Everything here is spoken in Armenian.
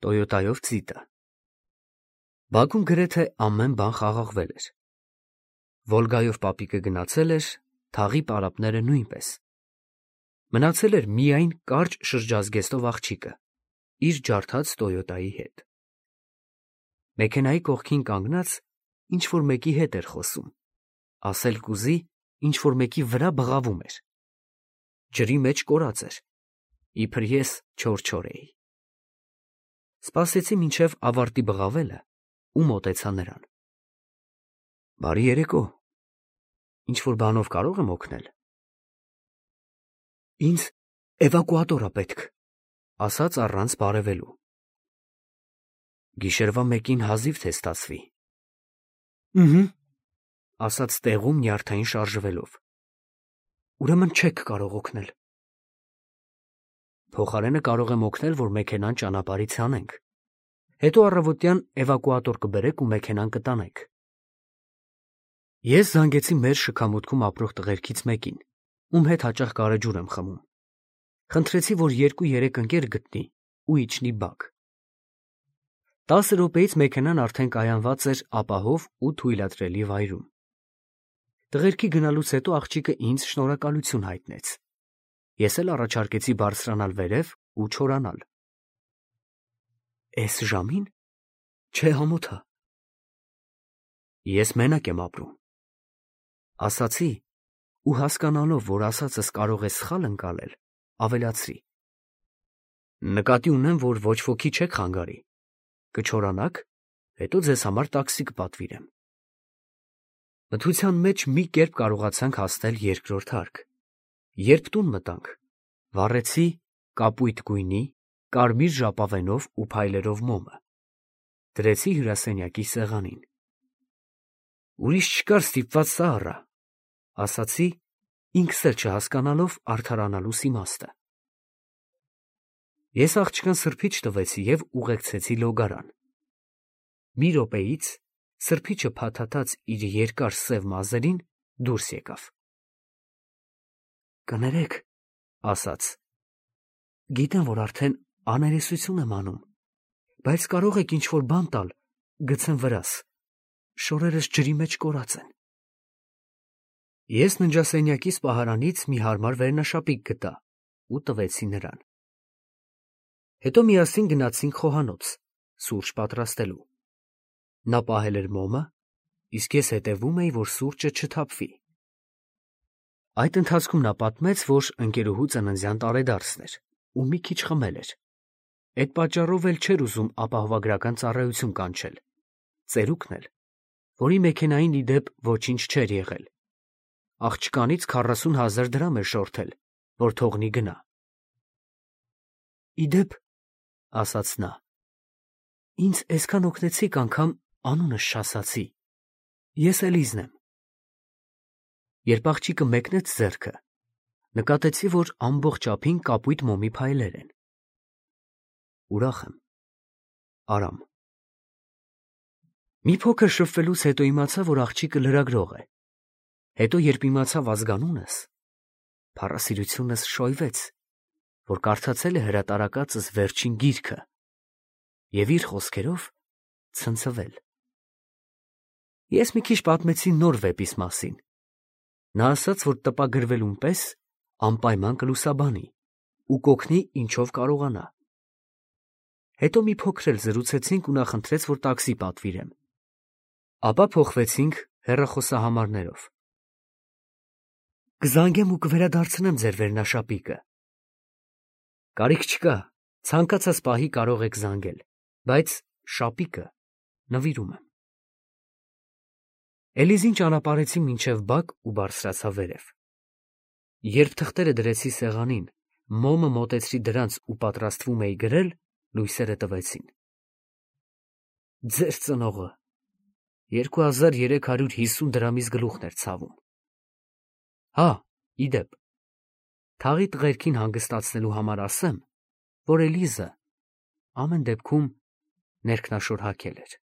Տոյոտայով ծիտը։ Բակում գրեթե ամեն բան խաղաղվել էր։ Վոլգայով պապիկը գնացել էր, թաղի պարապները նույնպես։ Մնացել էր միայն կարճ շրջազգեստով աղջիկը, իր ջարդած Տոյոտայի հետ։ Մեքենայի կողքին կանգնած ինչ-որ մեկի հետ էր խոսում, ասել կուզի, ինչ-որ մեկի վրա բղավում էր։ Ջրի մեջ կորած էր, իբր ես չոր էի։ Սպասեցի մինչև ավարտի բղավելը ու մոտեցա նրան։ Բարի երեկո, ինչ-որ բանով կարող եմ օգնել։ Ինձ էվակուատոր ա պետք, ասաց առանց բարևելու։ Գիշերվա մեկին հազիվ թե ստացվի։ Ասաց տեղում նյարդային շարժվելով։ Ուրեմն չեք կարող օգնել։ Փոխարենը կարող եմ օգնել, որ մեքենան ճանապարհից հանենք։ Հետո առավոտյան էվակուատոր կբերեք ու մեքենան կտանեք։ Ես զանգեցի մեր շքամուտքում ապրող տղերքից մեկին, ում հետ հաճախ գարեջուր եմ խմում։ Խնդրեցի, որ 2-3 ընկեր գտնի ու իջնի բակ։ 10 րոպեից մեքենան արդեն կայանված էր ապահով ու թույլատրելի վայրում։ Տղերքի գնալուց հետո աղջիկը ինձ շնորհակալություն հայտնեց։ Ես էլ առաջարկեցի բարձրանալ վերև ու չորանալ։ Էս ժամին։ Չէ, համոթա։ Ես մենակ եմ ապրում։ Ասացի ու հասկանալով, որ ասածս կարող է սխալ ընկալել, ավելացրի. Նկատի ունեմ, որ ոչ ոքի չեք խանգարի։ Կչորանաք, հետո ձեզ համար տաքսի կպատվիրեմ։ Մթության մեջ մի կերպ կարողացանք հասնել երկրորդ հարկ։ Երբ տուն մտանք, վառեցի կապույտ գույնի, կարմիր ժապավենով ու փայլերով մոմը։ Դրեցի հյուրասենյակի սեղանին։ Ուրիշ չկար ստիպված սա առա, ասացի, ինքս էլ չհասկանալով արդարանալուս իմաստը։ Ես աղջկան սրբիչ տվեցի և ուղեկցեցի լոգարան։ Մի րոպեից սրբիչը փաթաթած իր երկար սև մազերին դուրս եկավ։ Կներեք, ասաց, գիտեմ, որ արդեն աներեսություն եմ անում, բայց կարող եք ինչ-որ բան տալ, գցեմ վրաս, շորերս ջրի մեջ կորած են։ Ես ննջասենյակիս պահարանից մի հարմար վերնաշապիկ գտա ու տվեցի նրան։ Հետո միասին գնացինք խոհանոց, սուրճ պատրաստելու։ Նա պահել էր մոմը, իսկ ես հետևում էի, որ սուրճը չթափվի։ Այդ ընթացքում նա պատմեց, որ ընկերուհու ծննդյան տարեդարձն էր ու մի քիչ խմել էր։ Այդ պատճառով էլ չէր ուզում ապահովագրական ծառայություն կանչել, ծերուկն էլ, որի մեքենային ի դեպ ոչինչ չէր եղել։ Աղջկանից 40,000 դրամ էր շորթել, որ թողնի գնա։ Ի դեպ, ասաց նա, ինձ այսքան օգնեցիք անգամ անունս չասացի, ես Էլիզն եմ։ Երբ աղջիկը մեկնեց ձեռքը, նկատեցի, որ ամբողջ ափին կապույտ մոմի փայլեր են։ Ուրախ եմ, Արամ։ Մի փոքր շփվելուց հետո իմացա, որ աղջիկը լրագրող է։ Հետո երբ իմացավ ազգանունս, փառասիրությունս շոյվեց, որ կարդացել է հրատարակածս վերջին գիրքը և իր խոսքերով ցնցվել։ Ես մի քիչ պատմեցի նոր վեպիս մասին։ Նա ասաց, որ տպագրվելուն պես անպայման կլուսաբանի ու կօգնի ինչով կարողանա։ Հետո մի փոքր էլ զրուցեցինք ու նա խնդրեց, որ տաքսի պատվիրեմ։ Ապա փոխվեցինք հեռախոսահամարներով։ Կզանգեմ ու կվերադարձնեմ ձեր վերնաշապիկը։ Կարիք չկա, ցանկացած պահի կարող եք զանգել, բայց շապիկը նվիրում եմ։ Էլիզին ճանապարհեցի մինչև բակ ու բարձրացա վերև։ Երբ թղթերը դրեցի սեղանին, մոմը մոտեցրի դրանց ու պատրաստվում էի գրել, լույսերը տվեցին։ Ձեր ծնողը 2350 դրամից գլուխն էր ցավում։ Հա, ի դեպ, թաղի տղերքին հանգստացնելու համար ասեմ, որ Էլիզը ամեն դեպքում ներքնաշոր հագել էր։